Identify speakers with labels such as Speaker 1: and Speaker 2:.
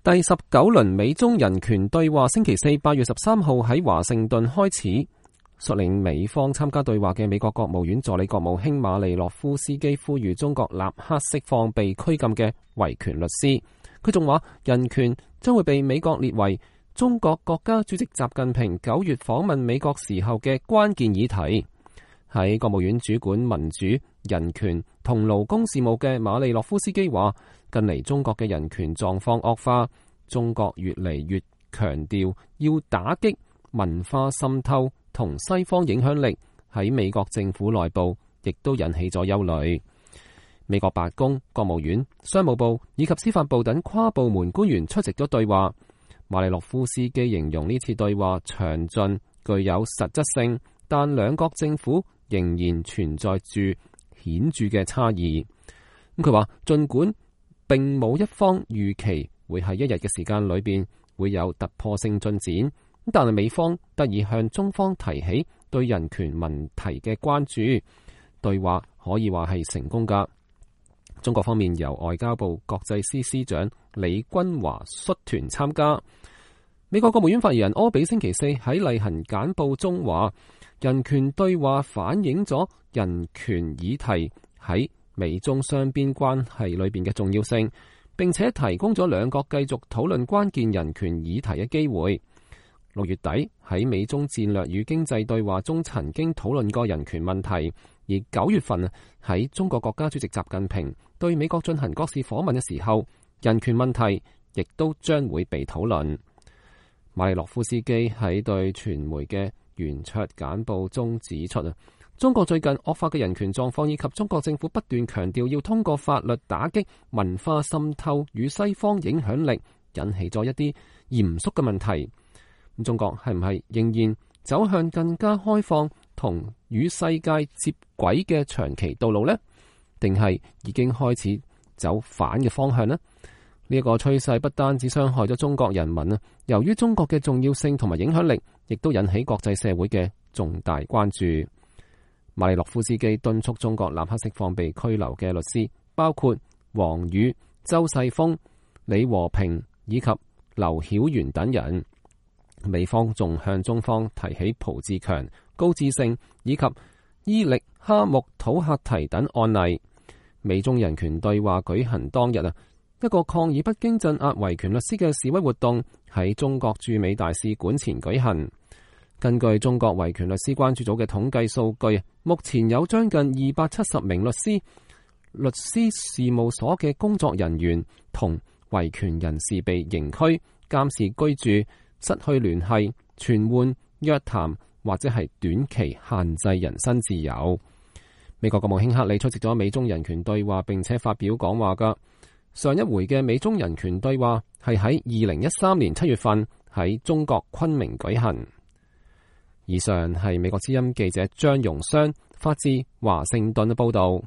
Speaker 1: 第19輪美中人權對話星期四8月13號喺華盛頓開始，率領美方參加對話嘅美國國務院助理國務卿馬利諾夫斯基呼籲中國立刻釋放被拘禁嘅維權律師。佢仲話人權將會被美國列為中國國家主席習近平9月訪問美國時候嘅關鍵議題。喺國務院主管民主、人權同勞工事務嘅馬利諾夫斯基話，近嚟中國嘅人權狀況惡化，中國越嚟越強調要打擊文化滲透同西方影響力，喺美國政府內部亦都引起咗憂慮。美國白宮、國務院、商務部以及司法部等跨部門官員出席咗對話。馬利諾夫斯基形容呢次對話詳盡、具有實質性，但兩國政府仍然存在住顯著嘅差異。佢話盡管並冇一方預期會喺一日嘅時間裏邊會有突破性進展，但係美方得以向中方提起對人權問題嘅關注，對話可以話係成功噶。中國方面由外交部國際司司長李君華率團參加。美國國務院發言人柯比星期四喺例行簡報中話，人權對話反映咗人權議題喺美中雙邊關係裏邊嘅重要性，並且提供咗兩國繼續討論關鍵人權議題嘅機會。6月底喺美中戰略與經濟對話中曾經討論過人權問題，而9月份喺中國國家主席習近平對美國進行國事訪問嘅時候，人權問題亦都將會被討論。馬利諾夫斯基喺對傳媒嘅圓桌簡報中指出，中國最近惡化嘅人權狀況，以及中國政府不斷強調要通過法律打擊文化滲透與西方影響力，引起咗一啲嚴肅嘅問題。中國係唔係仍然走向更加開放同與世界接軌嘅長期道路呢？定係已經開始走反嘅方向呢？呢一個趨勢不單止傷害咗中國人民啊，由於中國嘅重要性同埋影響力，亦都引起國際社會嘅重大關注。馬利諾夫斯基敦促中國立刻釋放被拘留嘅律師，包括王宇、周世峰、李和平以及劉曉元等人。美方仲向中方提起蒲志強、高志勝以及伊力哈木土赫提等案例。美中人權對話舉行當日一個抗議北京鎮壓維權律師嘅示威活動喺中國駐美大使館前舉行。根據中國維權律師關注組嘅統計數據，目前有將近270名律師事務所嘅工作人員同維權人士被刑拘、監視居住、失去聯繫、傳喚、約談或者係短期限制人身自由。美國國務卿克里出席咗美中人權對話，並且發表講話噶。上一回嘅美中人權對話係喺2013年7月份喺中國昆明舉行。以上係美國之音記者張容湘發自華盛頓嘅報道。